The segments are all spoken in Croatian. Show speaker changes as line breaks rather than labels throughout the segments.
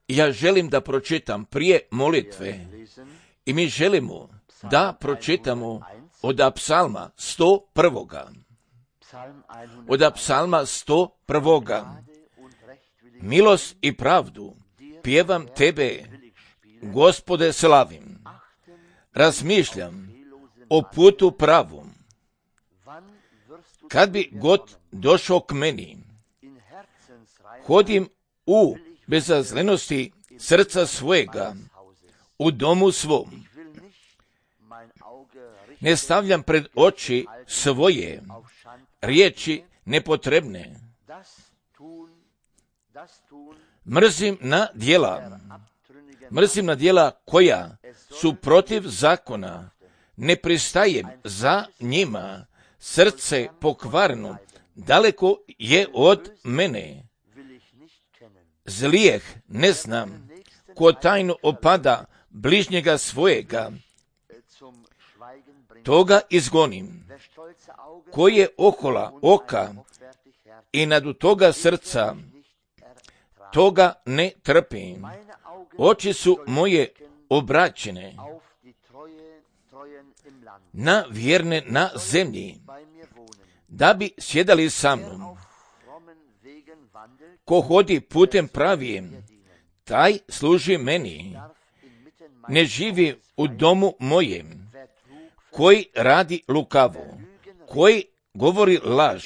Ja želim da pročitam prije molitve i mi želimo da pročitamo od psalma 101. Od psalma 101. Milost i pravdu pjevam tebe, Gospode, slavim. Razmišljam o putu pravom. Kad bi god došao k meni, hodim u bezazlenosti srca svojega, u domu svom. Ne stavljam pred oči svoje riječi nepotrebne. Mrzim na djela koja su protiv zakona. Ne pristajem za njima. Srce pokvarno daleko je od mene. Zlijeh ne znam, ko tajno opada bližnjega svojega, toga izgonim. Ko je ohola oka i nadu toga srca, toga ne trpim. Oči su moje obraćene na vjerne na zemlji, da bi sjedali sa mnom. Ko hodi putem pravijem, taj služi meni. Ne živi u domu mojem, koji radi lukavo, koji govori laž,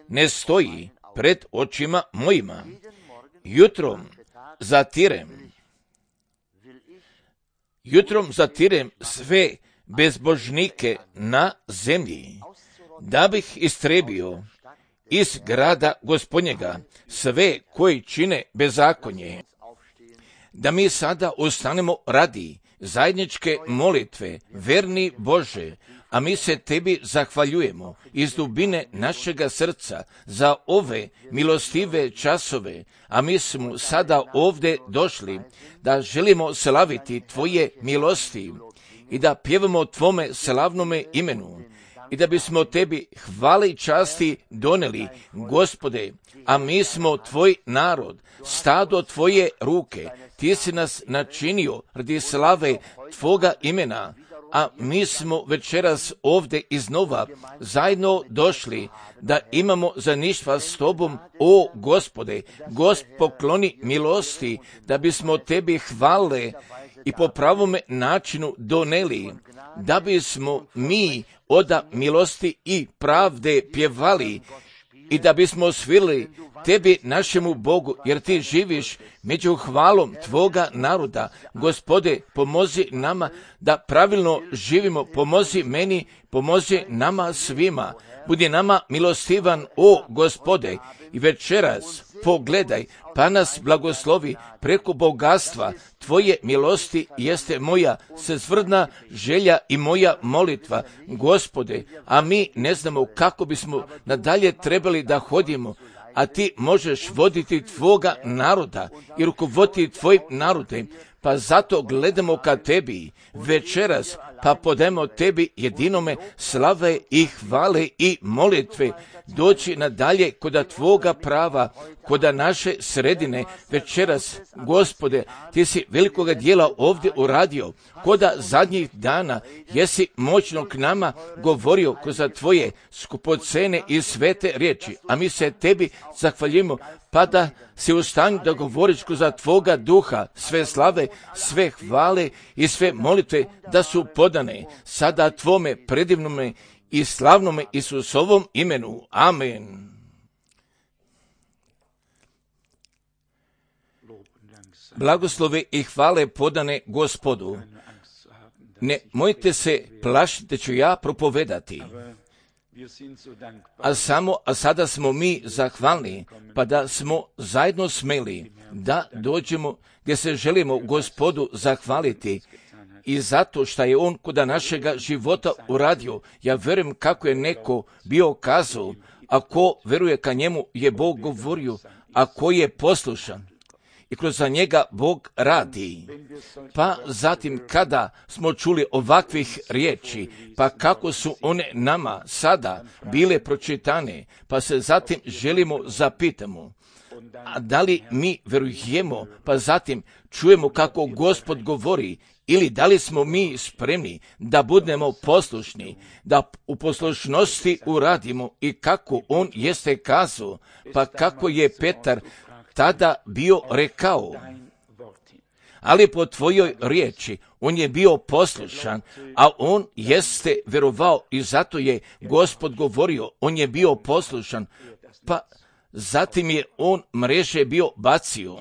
ne stoji pred očima mojima. Jutrom zatirem sve bezbožnike na zemlji, da bih istrebio iz grada Gospodnjega sve koji čine bezakonje. Da mi sada ustanemo radi zajedničke molitve, verni Bože, a mi se tebi zahvaljujemo iz dubine našega srca za ove milostive časove, a mi smo sada ovdje došli da želimo slaviti tvoje milosti i da pjevamo tvome slavnome imenu i da bismo tebi hvale i časti doneli, Gospode, a mi smo tvoj narod, stado tvoje ruke, ti si nas načinio radi slave tvoga imena, a mi smo večeras ovdje iznova zajedno došli da imamo zajedništva s tobom, o Gospode. Pokloni milosti da bismo tebi hvale i po pravome načinu doneli, da bismo mi od milosti i pravde pjevali i da bismo svirali tebi, našemu Bogu, jer ti živiš među hvalom tvoga naroda. Gospode, pomozi nama da pravilno živimo, pomozi meni, pomozi nama svima. Budi nama milostivan, o Gospode, i večeras pogledaj, pa nas blagoslovi preko bogatstva tvoje milosti jeste moja srcvrdna želja i moja molitva, Gospode, a mi ne znamo kako bismo nadalje trebali da hodimo, a ti možeš voditi tvoga naroda i rukovoditi tvojim narodem, pa zato gledamo ka tebi večeras, pa podajemo tebi jedinome slave i hvale i molitve. Doći nadalje koda tvoga prava, koda naše sredine večeras, Gospode, ti si velikoga dijela ovdje uradio, koda zadnjih dana jesi moćno k nama govorio kroz tvoje skupocene i svete riječi, a mi se tebi zahvaljujemo, pa da si u stanju da govoriš kroz tvoga duha, sve slave, sve hvale i sve molitve da su podane sada tvome predivnome i slavnome Isusovom imenu. Amen. Blagoslove i hvale podane Gospodu. Ne mojte se plašiti da ću ja propovedati. A sada smo mi zahvalni, pa da smo zajedno smeli da dođemo gdje se želimo Gospodu zahvaliti i zato što je on kod našega života uradio. Ja vjerujem kako je neko bio kazao, ako veruje ka njemu je Bog govorio, a ko je poslušan i kroz njega Bog radi. Pa zatim kada smo čuli ovakvih riječi, pa kako su one nama sada bile pročitane, pa se zatim želimo zapitamo, A da li mi verujemo, pa zatim čujemo kako Gospod govori, ili da li smo mi spremni da budemo poslušni, da u poslušnosti uradimo i kako on jeste kazao, pa kako je Petar tada bio rekao. Ali po tvojoj riječi on je bio poslušan, a on jeste verovao i zato je Gospod govorio, on je bio poslušan, pa zatim je on mreže bio bacio.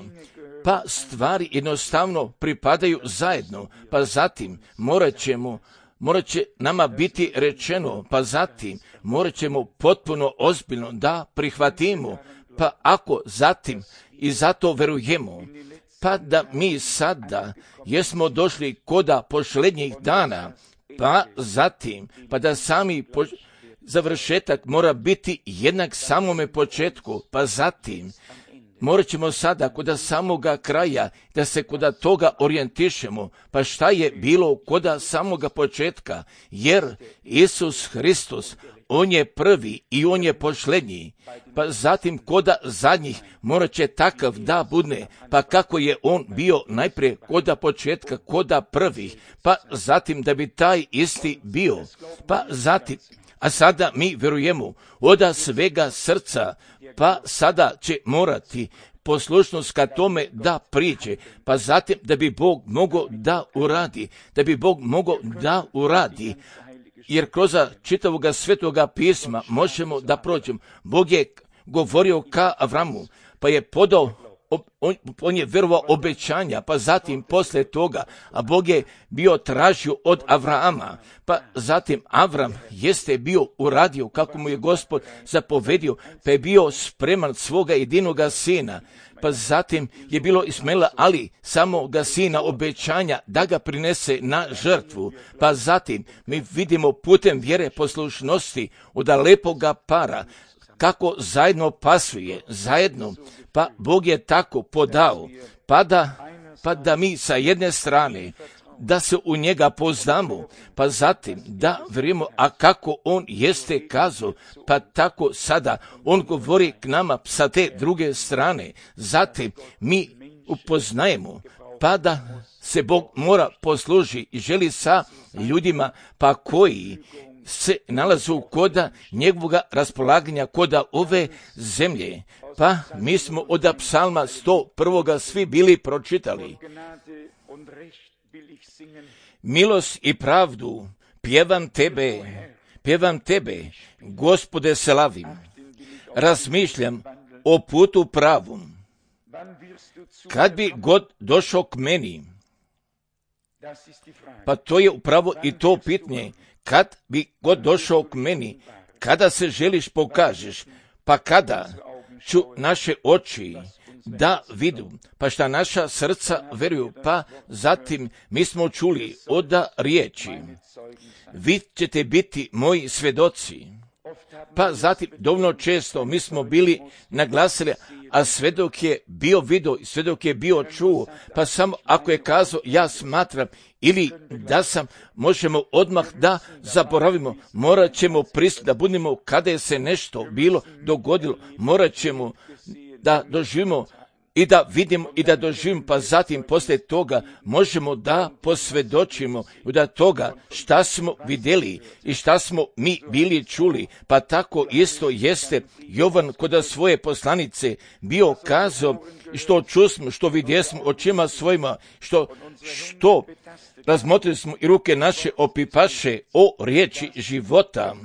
Pa stvari jednostavno pripadaju zajedno, pa zatim morat će nama biti rečeno, pa zatim morat ćemo potpuno ozbiljno da prihvatimo, pa ako zatim i zato verujemo, pa da mi sada jesmo došli koda posljednjih dana, pa zatim, pa da sami završetak mora biti jednak samome početku, pa zatim morat ćemo sada koda samoga kraja da se koda toga orijentišemo, pa šta je bilo koda samoga početka, jer Isus Hristos, on je prvi i on je posljednji, pa zatim koda zadnjih morat će takav da bude, pa kako je on bio najprije koda početka, koda prvih, pa zatim da bi taj isti bio, pa zatim, a sada mi verujemo od svega srca, pa sada će morati poslušnost ka tome da priđe, pa zatim da bi Bog mogao da uradi, jer kroz čitavoga svetoga pisma možemo da prođemo. Bog je govorio ka Avramu, pa je podao, on je verovao obećanja, pa zatim posle toga, a Bog je bio tražio od Avrama, pa zatim Avram jeste bio uradio kako mu je Gospod zapovedio, pa je bio spreman svoga jedinoga sina, pa zatim je bilo Ismaila, ali samoga sina obećanja da ga prinese na žrtvu, pa zatim mi vidimo putem vjere poslušnosti od lepoga para, kako zajedno pasuje, zajedno, pa Bog je tako podao, pa da mi sa jedne strane, da se u njega poznamo, pa zatim da vjerujemo, a kako on jeste kazao, pa tako sada on govori k nama sa te druge strane, zatim mi upoznajemo, pa da se Bog mora posluži i želi sa ljudima, pa koji se nalazu koda njegovoga raspolaganja, koda ove zemlje. Pa mi smo od psalma 101. svi bili pročitali. Milost i pravdu pjevam tebe, Gospode slavim. Razmišljam o putu pravom. Kad bi god došao k meni, pa to je upravo i to pitanje, kad bi god došao k meni, kada se želiš pokažeš, pa kada ću naše oči da vidu, pa šta naša srca veruju, pa zatim mi smo čuli od riječi, vi ćete biti moji svedoci, pa zatim dovoljno često mi smo bili naglasili, a svedok je bio vidio, svedok je bio čuo, pa samo ako je kazao ja smatram ili da sam, možemo odmah da zaboravimo, morat ćemo pristati da budemo kada je se nešto bilo dogodilo, morat ćemo da doživimo i da vidimo i da doživimo, pa zatim poslije toga možemo da posvjedočimo da toga šta smo vidjeli i šta smo mi bili čuli, pa tako isto jeste Jovan kod svoje poslanice bio kazao, što čusmo, što vidjesmo očima svojima, što razmotrili smo i ruke naše opipaše o riječi života,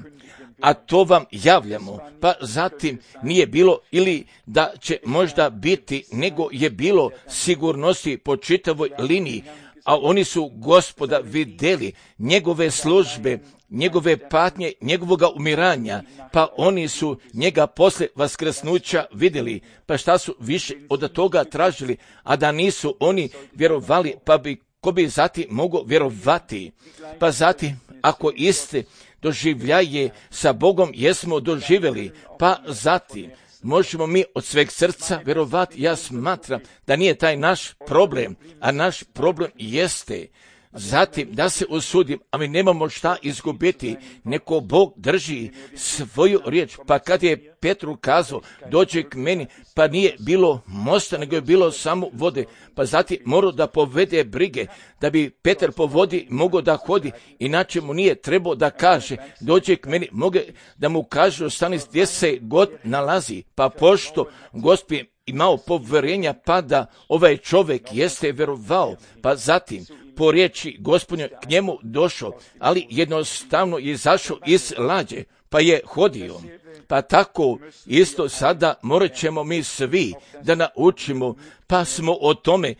a to vam javljamo, pa zatim nije bilo ili da će možda biti, nego je bilo sigurnosti po čitavoj liniji, a oni su Gospoda vidjeli, njegove službe, njegove patnje, njegovoga umiranja, pa oni su njega posle vaskrsnuća vidjeli, pa šta su više od toga tražili, a da nisu oni vjerovali, pa ko bi zatim mogao vjerovati, pa zatim ako iste doživljaje sa Bogom jesmo doživjeli, pa zatim možemo mi od sveg srca vjerovati. Ja smatram da nije taj naš problem, a naš problem jeste zatim da se usudim, a mi nemamo šta izgubiti, neko Bog drži svoju riječ. Pa kad je Petru kazao, dođe k meni, pa nije bilo mosta, nego je bilo samo vode, pa zatim morao da povede brige, da bi Petar po vodi mogao da hodi, inače mu nije trebao da kaže, dođe k meni, mogu da mu kaže, ostani gdje se god nalazi, pa pošto Gospod imao povjerenja, pa da ovaj čovjek jeste vjerovao, pa zatim po riječi Gospodnje k njemu došao, ali jednostavno je izašao iz lađe, pa je hodio. Pa tako isto sada morat ćemo mi svi da naučimo, pa smo o tome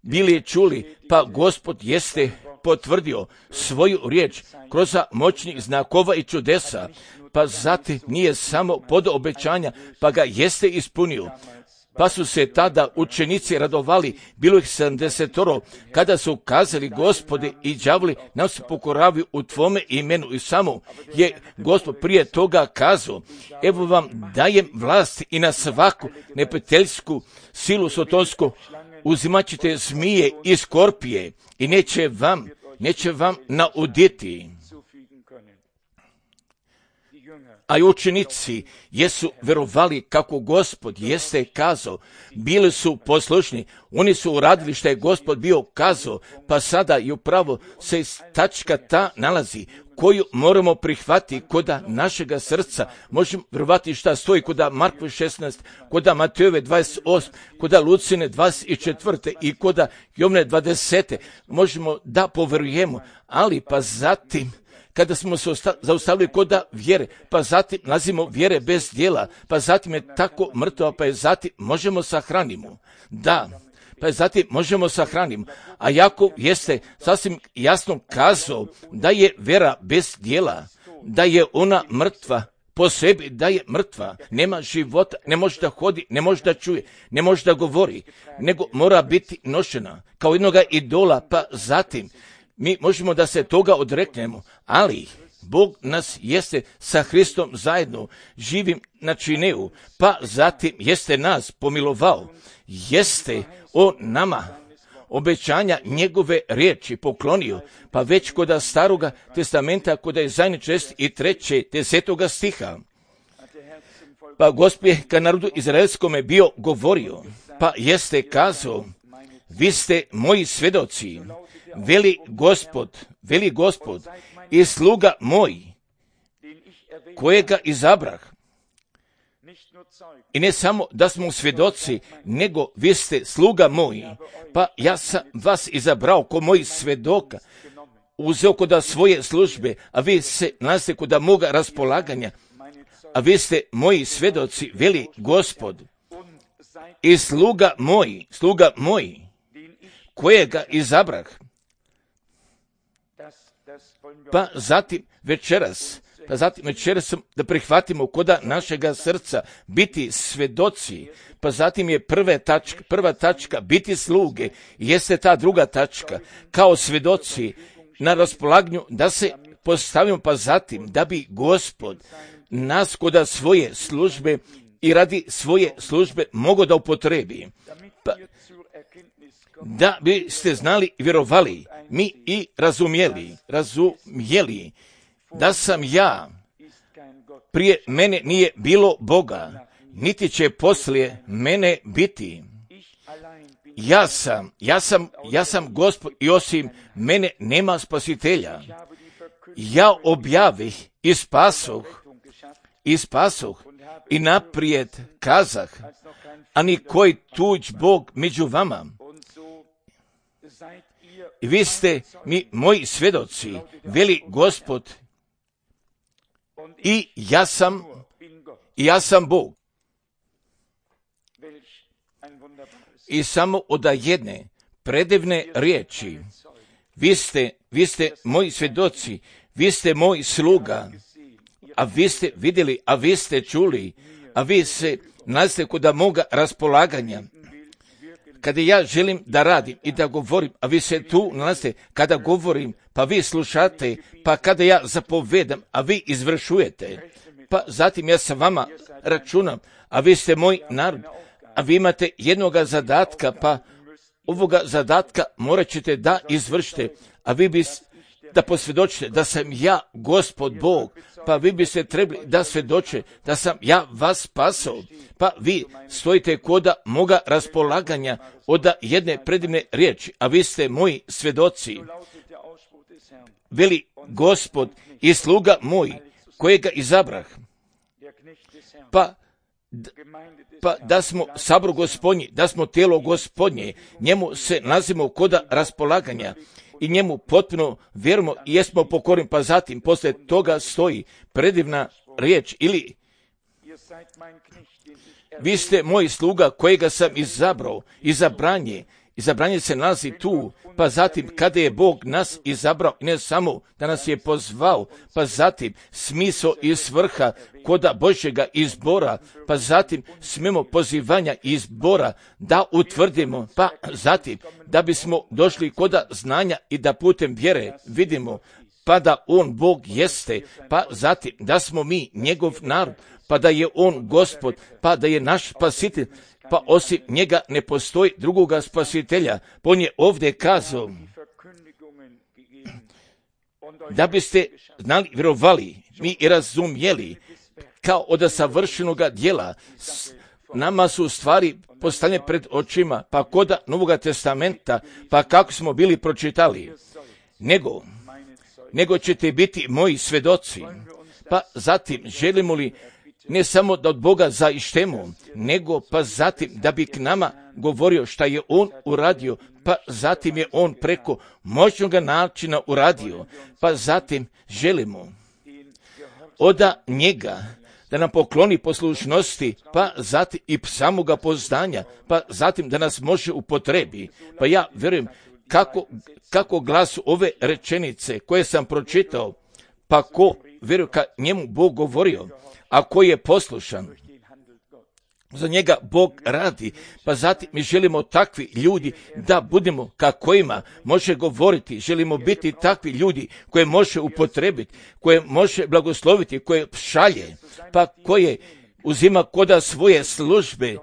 bili čuli, pa Gospod jeste potvrdio svoju riječ kroz moćnih znakova i čudesa, pa zatim nije samo pod obećanja, pa ga jeste ispunio. Pa su se tada učenici radovali, bilo ih 70, kada su kazali, Gospode, i đavoli nam se pokoravaju u tvome imenu. I samo je Gospod prije toga kazao, evo vam dajem vlast i na svaku neprijateljsku silu sotonsku, uzimat ćete zmije i skorpije i neće vam nauditi. A i učenici jesu verovali kako Gospod jeste kazao, bili su poslušni, oni su uradili što je Gospod bio kazao, pa sada i upravo se tačka ta nalazi, koju moramo prihvatiti koda našega srca. Možemo verovati šta stoji koda Markove 16, koda Matejove 28, koda Lucine 24 i koda Jovne 20. Možemo da poverujemo, ali pa zatim kada smo se zaustavili koda vjere, pa zatim nalazimo vjere bez djela, pa zatim je tako mrtva, pa je zatim možemo sahranimo. Da, pa je zatim možemo sahranimo. A Jakov jeste sasvim jasno kazao da je vjera bez djela, da je ona mrtva po sebi, da je mrtva, nema života, ne može da hodi, ne može da čuje, ne može da govori, nego mora biti nošena kao jednoga idola, pa zatim mi možemo da se toga odreknemo, ali Bog nas jeste sa Hristom zajedno živim načinio, pa zatim jeste nas pomilovao, jeste o nama obećanja njegove riječi poklonio, pa već koda Staroga testamenta, koda je Izaja 63. 10. stiha. Pa Gospod je ka narodu izraelskome bio govorio, pa jeste kazao, vi ste moji svedoci, veli Gospod, i sluga moj, kojega izabrah. I ne samo da smo svjedoci, nego vi ste sluga moji, pa ja sam vas izabrao ko moji svjedoka, uzeo koda svoje službe, a vi se nalazite koda moga raspolaganja, a vi ste moji svjedoci, veli Gospod, i sluga moj, kojega izabrah. Pa zatim večeras da prihvatimo koda našega srca biti svedoci, pa zatim je prva tačka biti sluge, jeste ta druga tačka, kao svedoci na raspolaganju da se postavimo, pa zatim da bi Gospod nas koda svoje službe i radi svoje službe mogao da upotrebi. Pa, da biste znali i vjerovali, mi i razumjeli, da sam ja, prije mene nije bilo Boga, niti će poslije mene biti. Ja sam Gospod i osim mene nema spasitelja. Ja objavih i spasoh i naprijed kazah, a ni koji tuđ Bog među vama. I vi ste mi moji svjedoci, veli Gospod, i ja sam Bog. I samo od jedne predivne riječi, vi ste moji svjedoci, vi ste moj sluga, a vi ste vidjeli, a vi ste čuli, a vi se nalazite koda moga raspolaganja. Kada ja želim da radim i da govorim, a vi se tu nalazite, kada govorim, pa vi slušate, pa kada ja zapovedam, a vi izvršujete, pa zatim ja sa vama računam, a vi ste moj narod, a vi imate jednoga zadatka, pa ovoga zadatka morat ćete da izvršite, a vi biste da posvjedočite da sam ja Gospod Bog, pa vi biste trebali da svjedoče da sam ja vas spasao, pa vi stojite koda moga raspolaganja od jedne predivne riječi, a vi ste moji svjedoci. Veli Gospod i sluga moj, kojega izabrah, pa da smo sabor Gospodnji, da smo tijelo Gospodnje, njemu se nalazimo koda raspolaganja i njemu potpuno vjerujemo i jesmo pokorni, pa zatim poslije toga stoji predivna riječ ili vi ste moj sluga kojega sam izabrao, izabranje se nalazi tu, pa zatim kada je Bog nas izabrao, ne samo da nas je pozvao, pa zatim smisao i svrha koda Božjega izbora, pa zatim smemo pozivanja izbora da utvrdimo, pa zatim da bismo došli koda znanja i da putem vjere vidimo, pa da On Bog jeste, pa zatim da smo mi njegov narod, pa da je On Gospod, pa da je naš spasitelj, pa osim njega ne postoji drugoga spasitelja. On je ovdje kazao da biste znali, vjerovali, mi i razumjeli, kao od savršenoga djela. Nama su stvari postavljene pred očima, pa koda Novoga testamenta, pa kako smo bili pročitali, nego ćete biti moji svjedoci. Pa zatim želimo li ne samo da od Boga zaištemo, nego pa zatim da bi k nama govorio šta je On uradio, pa zatim je On preko moćnog načina uradio, pa zatim želimo od njega da nam pokloni poslušnosti, pa zatim i samoga poznanja, pa zatim da nas može upotrebi. Pa ja vjerujem kako glasu ove rečenice koje sam pročitao, pa ko vjeruje ka njemu Bog govorio, a koji je poslušan, za njega Bog radi, pa zatim mi želimo takvi ljudi da budemo kakvima može govoriti, želimo biti takvi ljudi koje može upotrebiti, koje može blagosloviti, koje šalje, pa koje uzima koda svoje službe,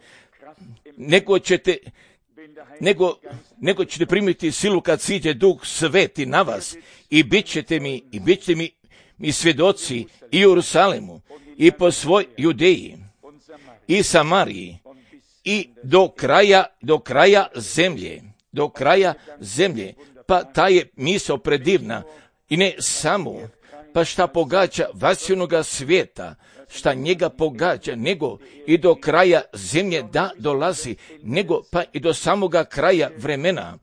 nego ćete primiti silu kad siđe Duh Sveti na vas i bit ćete mi svjedoci i u Jerusalemu, i po svoj Judeji, i Samariji, i do kraja zemlje, pa ta je misao predivna, i ne samo, pa šta pogađa vasilnoga svijeta, šta njega pogađa, nego i do kraja zemlje da dolazi, nego pa i do samoga kraja vremena.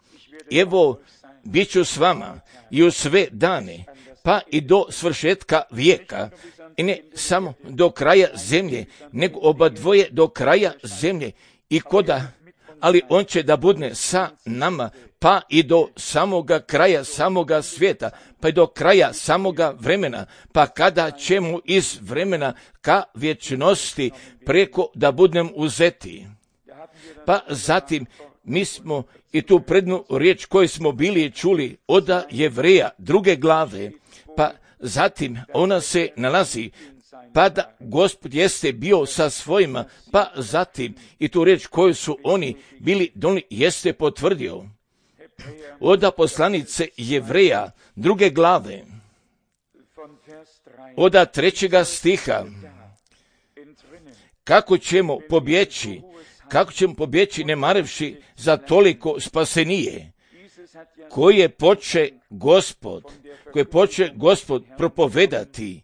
Evo, bit ću s vama i u sve dane, pa i do svršetka vijeka, i ne samo do kraja zemlje, nego obadvoje do kraja zemlje i ali On će da budne sa nama, pa i do samoga kraja samoga svijeta, pa i do kraja samoga vremena, pa kada ćemo iz vremena ka vječnosti preko da budnem uzeti. Pa zatim mi smo i tu prednu riječ koju smo bili čuli od Jevreja 2. glave, pa zatim ona se nalazi, pa da Gospod jeste bio sa svojima, pa zatim i tu riječ koju su oni bili donijeli jeste potvrdio. Od poslanice Jevreja 2. glave, od 3. stiha, kako ćemo pobjeći ne marevši za toliko spasenije, koje poče Gospod propovedati,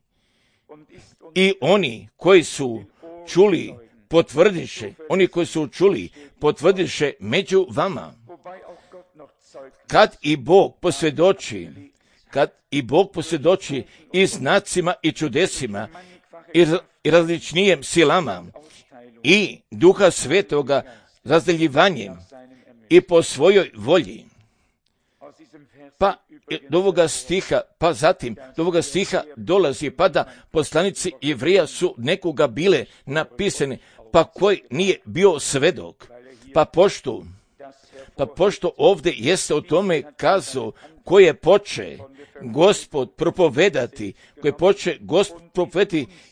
i oni koji su čuli potvrdiše među vama. Kad i Bog posvjedoči i znacima i čudesima i različnijem silama i Duha Svetoga razdeljivanjem i po svojoj volji. Pa do ovoga stiha dolazi, pa da poslanici Jevreja su nekoga bile napisane, pa koji nije bio svedok. Pa pošto ovdje jeste o tome kazao koje poče Gospod propovedati,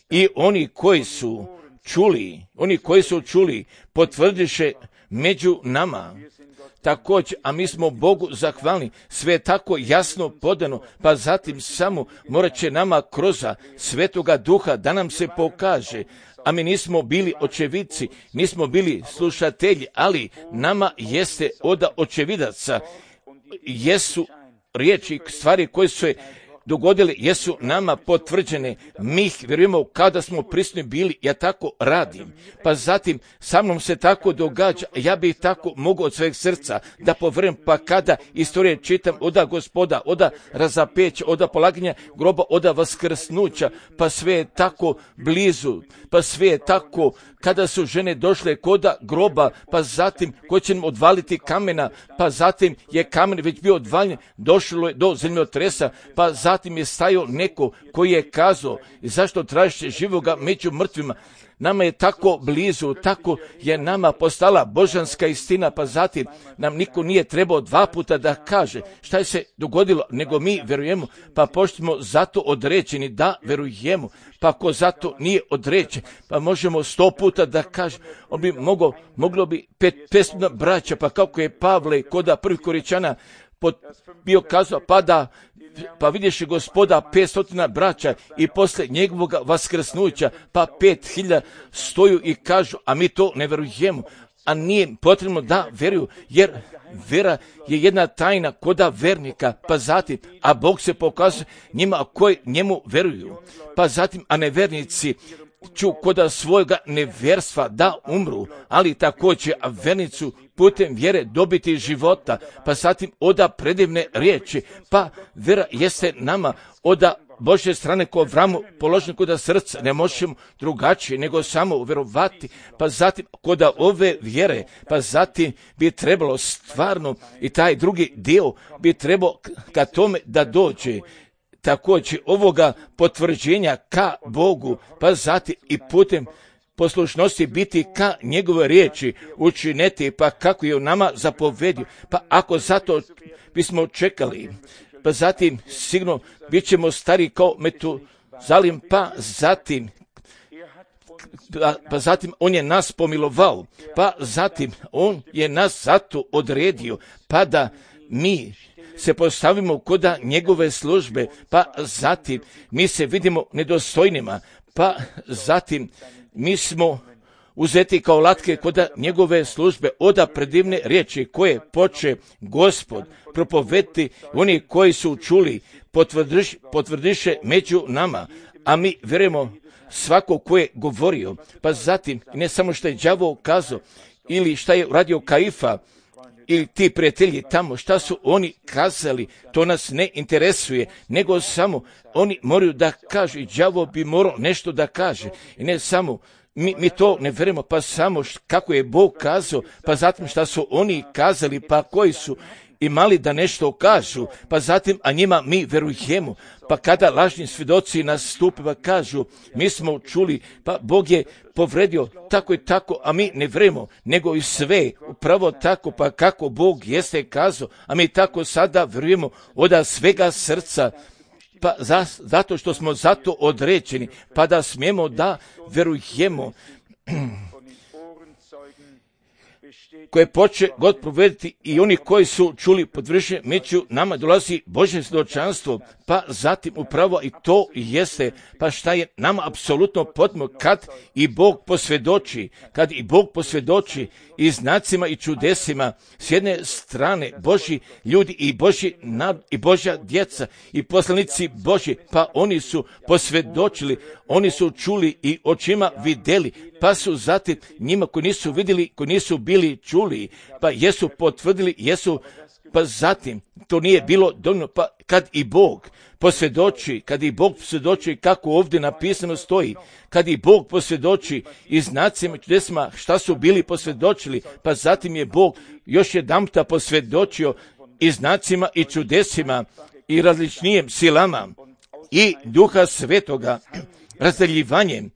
i oni koji su čuli, potvrdiše među nama. također, a mi smo Bogu zahvalni, sve je tako jasno podano, pa zatim samo morat će nama kroz Svetoga Duha da nam se pokaže, a mi nismo bili očevidci, nismo bili slušatelji, ali nama jeste od očevidaca, jesu riječi, stvari koje su se dogodile, jesu nama potvrđene, mi ih vjerujemo kada smo prisutni bili, ja tako radim, pa zatim sa mnom se tako događa, ja bih tako mogao od sveg srca da povjerujem, pa kada istorije čitam oda Gospoda, oda razapeća, oda polaganja groba, oda vaskrsnuća, pa sve je tako blizu, pa sve je tako kada su žene došle koda groba, pa zatim ko će nam odvaliti kamena, pa zatim je kamen već bio odvaljen, došlo je do zemljotresa, pa zatim je stajao neko koji je kazao, zašto tražiš živoga među mrtvima? Nama je tako blizu, tako je nama postala božanska istina, pa zatim nam niko nije trebao 2 puta da kaže šta je se dogodilo, nego mi verujemo, pa pošto smo zato određeni da verujemo, pa ako zato nije određen, pa možemo 100 puta da kaže, on bi moglo bi 500 braća, pa kako je Pavle koda prvih Koričana bio kazao, pa vidiš Gospoda 500 braća i posle njegovog vaskrsnuća, pa 5000 stoju i kažu, a mi to ne verujemo, a nije potrebno da veruju, jer vera je jedna tajna koda vernika, pa zatim, a Bog se pokazuje njima koji njemu veruju, pa zatim, a nevernici ću koda svojega neverstva da umru, ali također vernicu putem vjere dobiti života, pa zatim oda predivne riječi, pa vera jeste nama oda Božje strane ko vramu položen koda srca, ne možemo drugačije nego samo vjerovati, pa zatim koda ove vjere, pa zatim bi trebalo stvarno i taj drugi dio bi trebao ka tome da dođe, također ovoga potvrđenja ka Bogu, pa zatim i putem poslušnosti biti ka njegove riječi učiniti, pa kako je u nama zapovedio, pa ako zato bismo čekali, pa zatim sigurno bit ćemo stari kao Metuzalim, pa zatim on je nas pomilovao, pa zatim on je nas zato odredio, pa da mi se postavimo koda njegove službe, pa zatim mi se vidimo nedostojnima, pa zatim mi smo uzeti kao latke koda njegove službe, oda predivne riječi koje poče Gospod propovediti, oni koji su čuli potvrdiše među nama, a mi vjerujemo svako ko je govorio, pa zatim ne samo što je đavo kazao ili šta je radio Kaifa ili ti prijatelji tamo, šta su oni kazali, to nas ne interesuje, nego samo oni moraju da kažu i đavo bi morao nešto da kaže i ne samo mi to ne verujemo, pa samo kako je Bog kazao, pa zatim šta su oni kazali, pa koji su imali da nešto kažu, pa zatim, a njima mi verujemo, pa kada lažni svjedoci nastupe, pa kažu, mi smo čuli, pa Bog je povredio tako i tako, a mi ne verujemo, nego i sve, upravo tako, pa kako Bog jeste kazao, a mi tako sada verujemo od svega srca, pa zato što smo zato određeni, pa da smijemo da verujemo, koje poče God provediti i oni koji su čuli potvrđenje među nama dolazi Božje svjedočanstvo, pa zatim upravo i to jeste, pa šta je nama apsolutno potrebno kad i Bog posvjedoči i znacima i čudesima, s jedne strane Božji ljudi i Božji i Božja djeca i poslanici Božji, pa oni su posvjedočili, oni su čuli i očima vidjeli, pa su zatim njima koji nisu vidjeli, koji nisu bili čuli, pa jesu potvrdili, pa zatim to nije bilo dovoljno, pa kad i Bog posvjedoči, kako ovdje napisano stoji, kad i Bog posvjedoči i znacima i čudesima šta su bili posvjedočili, pa zatim je Bog još jedanputa posvjedočio i znacima i čudesima i različnijim silama i Duha Svetoga razdjeljivanjem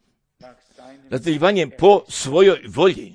po svojoj volji.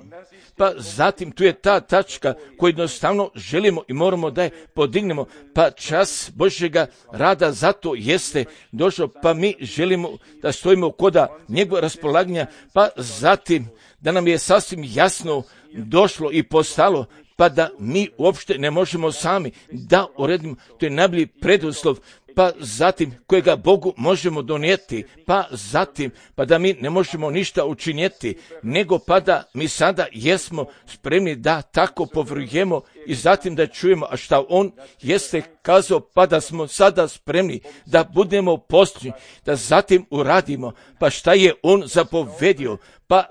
Pa zatim tu je ta tačka koju jednostavno želimo i moramo da je podignemo, pa čas Božjega rada zato jeste došao, pa mi želimo da stojimo koda njegova raspolaganja, pa zatim da nam je sasvim jasno došlo i postalo pa da mi uopšte ne možemo sami da uredimo, to je najbolji preduslov, pa zatim kojega Bogu možemo donijeti, pa zatim pa da mi ne možemo ništa učinjeti, nego pa da mi sada jesmo spremni da tako povrujemo i zatim da čujemo, a šta on jeste kazao, pa da smo sada spremni da budemo posljednji, da zatim uradimo, pa šta je on zapovedio, pa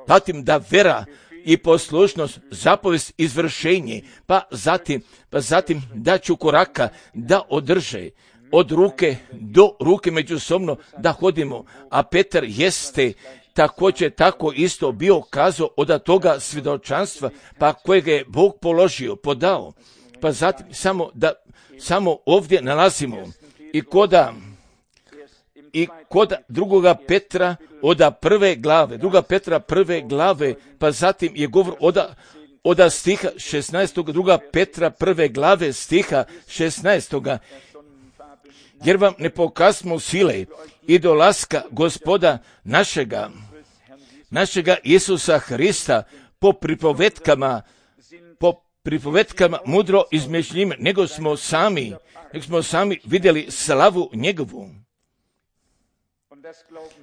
zatim da vera i poslušnost, zapovest, izvršenje, pa zatim da ću koraka da održe, od ruke do ruke međusobno da hodimo, a Petar jeste također tako isto bio kazao od toga svjedočanstva, pa kojega je Bog položio, podao, pa zatim samo ovdje nalazimo i kod drugoga Petra od prve glave, druga Petra prve glave, pa zatim je govor od stiha 16. druga Petra prve glave stiha 16. Jer vam ne pokazmo sile i dolaska Gospoda našega Isusa Hrista po pripovetkama mudro izmišljenim, nego smo sami vidjeli slavu njegovu.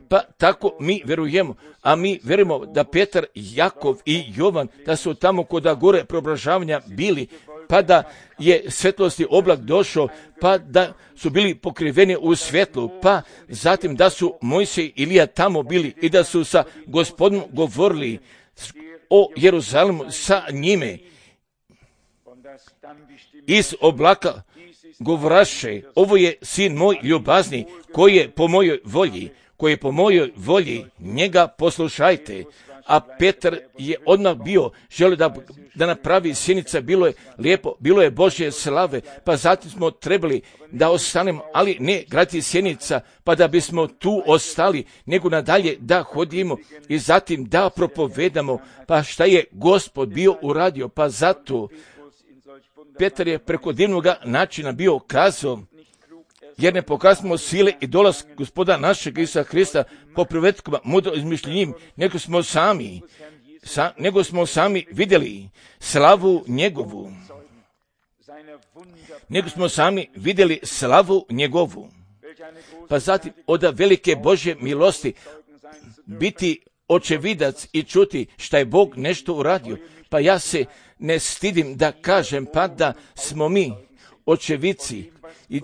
Pa tako mi verujemo, a mi verujemo da Petar, Jakov i Jovan, da su tamo kod gore preobražavanja bili, pa da je svetlosti oblak došao, pa da su bili pokriveni u svjetlu, pa zatim da su Mojsije i Ilija tamo bili i da su sa Gospodom govorili o Jeruzalemu sa njime. Iz oblaka govoraše, ovo je sin moj ljubazni, koji je po mojoj volji, njega poslušajte. A Petar je odmah želio da napravi sjenica, bilo je lijepo, bilo je Božje slave, pa zatim smo trebali da ostanemo, ali ne graditi sjenica, pa da bismo tu ostali, nego nadalje da hodimo i zatim da propovedamo, pa šta je Gospod bio uradio, pa zato Petar je preko divnog načina bio kazao, jer ne pokazimo sile i dolaz Gospoda našeg Isusa Hrista po pripovetkama mudro izmišljenim, nego smo sami vidjeli slavu njegovu. Pa zatim od velike Božje milosti biti očevidac i čuti šta je Bog nešto uradio. Pa ja se ne stidim da kažem, pa da smo mi očevici i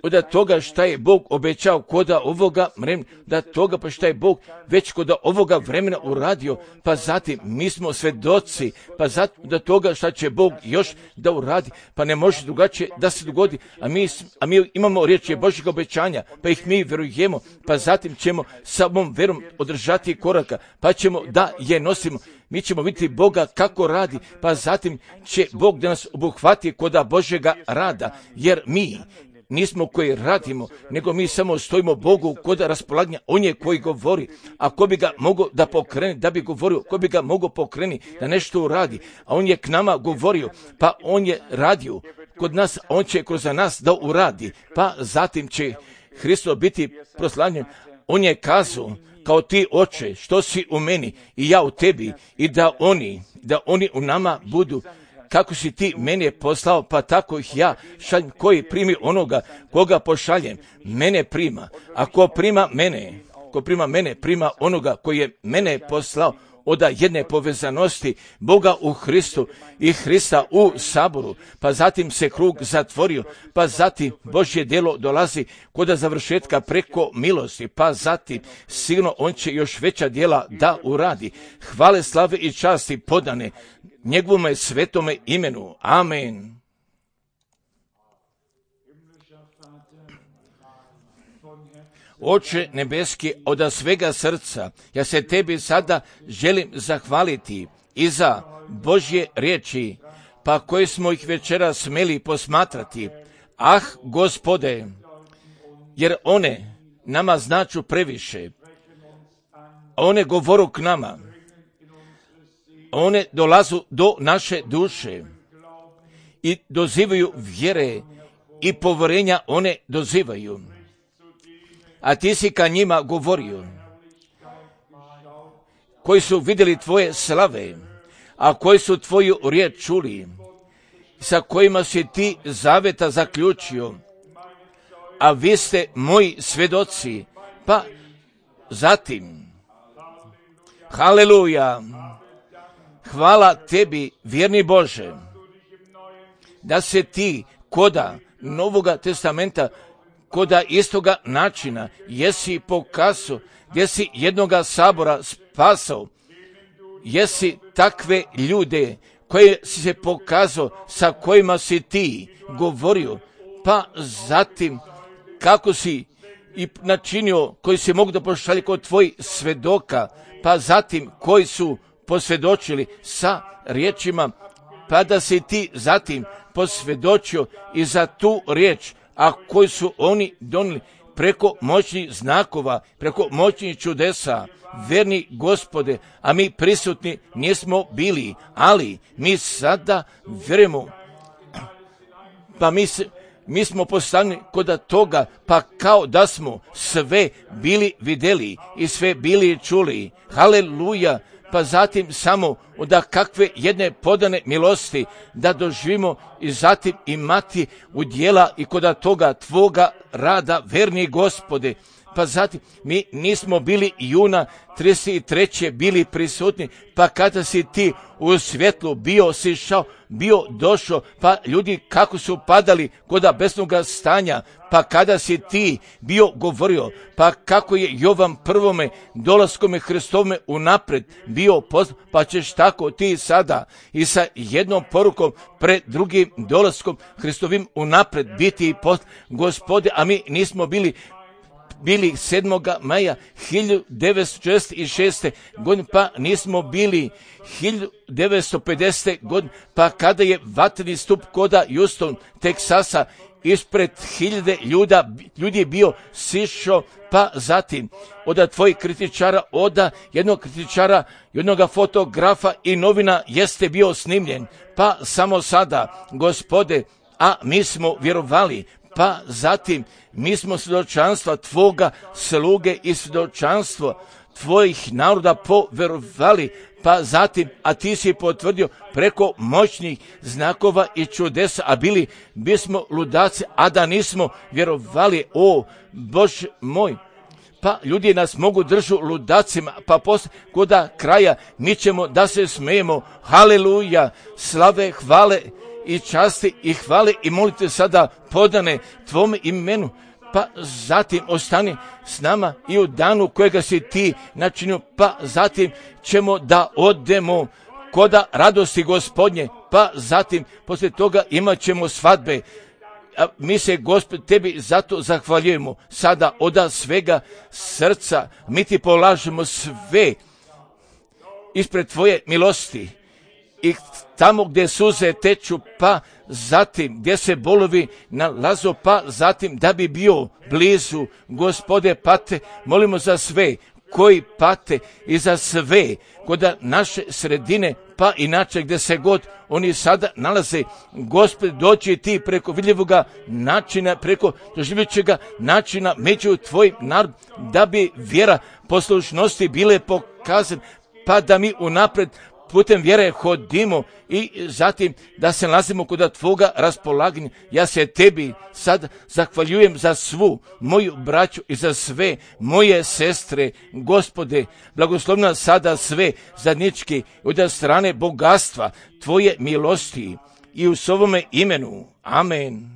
od toga šta je Bog obećao kod ovoga vremena, da toga pa šta je Bog već kod ovoga vremena uradio, pa zatim mi smo svedoci, pa zatim da toga šta će Bog još da uradi, pa ne može drugačije da se dogodi, a mi imamo riječi Božjeg obećanja, pa ih mi verujemo, pa zatim ćemo samom verom održati koraka, pa ćemo da je nosimo. Mi ćemo vidjeti Boga kako radi, pa zatim će Bog da nas obuhvati kod Božjega rada, jer mi nismo koji radimo, nego mi samo stojimo Bogu kod raspolaganja. On je koji govori, a ko bi ga mogao da pokrene, da bi govorio, ko bi ga mogao pokreni da nešto uradi, a on je k nama govorio, pa on je radio kod nas, on će kroz nas da uradi, pa zatim će Hristo biti proslavljen. On je kazao, kao ti oče, što si u meni i ja u tebi, i da oni u nama budu. Kako si ti mene poslao, pa tako ih ja šaljem. Koji primi onoga koga pošaljem, mene prima. A ko prima mene, prima onoga koji je mene poslao. Od jedne povezanosti Boga u Hristu i Hrista u saboru, pa zatim se krug zatvorio, pa zatim Božje djelo dolazi kod završetka preko milosti, pa zatim sigurno on će još veća djela da uradi. Hvale, slave i časti podane njegovome svetome imenu. Amen. Oče nebeski, od svega srca, ja se tebi sada želim zahvaliti i za Božje riječi, pa koje smo ih večera smeli posmatrati. Ah, Gospode, jer one nama značu previše. One govoru k nama. One dolazu do naše duše i dozivaju vjere i poverenja one dozivaju. A ti si ka njima govorio, koji su vidjeli tvoje slave, a koji su tvoju riječ čuli, sa kojima si ti zaveta zaključio, a vi ste moji svjedoci. Pa zatim, haleluja, hvala tebi, vjerni Bože, da se ti koda Novoga testamenta, koda istoga načina, jesi pokazao, gdje si jednoga sabora spasao, jesi takve ljude koje si se pokazao, sa kojima si ti govorio, pa zatim kako si i načinio, koji si mogu da pošalje kod tvojih svedoka, pa zatim koji su posvjedočili sa riječima, pa da si ti zatim posvjedočio i za tu riječ, a koji su oni donijeli preko moćnih znakova, preko moćnih čudesa, verni Gospode, a mi prisutni nismo bili, ali mi sada vjerujemo, pa mi smo postavljeni kod toga, pa kao da smo sve bili vidjeli i sve bili čuli. Haleluja! Pa zatim samo da kakve jedne podane milosti da doživimo i zatim imati udjela i kod toga tvoga rada, verni Gospode. Pa zatim mi nismo bili juna 33. bili prisutni, pa kada si ti u svjetlu bio sišao, bio došao, pa ljudi kako su padali kod besnoga stanja, pa kada si ti bio govorio, pa kako je Jovan prvome dolaskome Hristovome unapred bio poznat, pa ćeš tako ti sada i sa jednom porukom pred drugim dolaskom Hristovim unapred biti poznat, Gospode, a mi nismo bili 7. maja 1946. godine, pa nismo bili 1950. godine, pa kada je vatreni stup koda Houston, Teksasa, ispred 1000 ljudi je bio sišao, pa zatim od tvojih kritičara, od jednog kritičara, jednog fotografa i novina jeste bio snimljen, pa samo sada, Gospode, a mi smo vjerovali, pa zatim mi smo svjedočanstva tvoga sluge i svjedočanstvo tvojih naroda povjerovali, pa zatim, a ti si potvrdio preko moćnih znakova i čudesa, a bili bismo ludaci, a da nismo vjerovali, o Bože moj. Pa ljudi nas mogu držu ludacima, pa poslije koda kraja mi ćemo da se smijemo. Haleluja, slave, hvale i časti i hvale i molite sada podane tvome imenu, pa zatim ostani s nama i u danu kojega si ti načinio, pa zatim ćemo da odemo koda radosti Gospodnje, pa zatim poslije toga imat ćemo svadbe. A mi se, Gospod, tebi zato zahvaljujemo sada od svega srca, mi ti polažemo sve ispred tvoje milosti i tamo gdje suze teču, pa zatim gdje se bolovi nalazu, pa zatim da bi bio blizu, Gospode, pate, molimo za sve koji pate i za sve kod naše sredine, pa inače gdje se god oni sada nalaze. Gospod, doći ti preko vidljivoga načina, preko doživljujućega načina među tvojim narod, da bi vjera poslušnosti bile pokazane, pa da mi unapred putem vjere hodimo i zatim da se nalazimo kod tvoga raspolaganja. Ja se tebi sad zahvaljujem za svu moju braću i za sve moje sestre. Gospode, blagoslovna sada sve zadnički od strane bogatstva tvoje milosti i u svome imenu. Amen.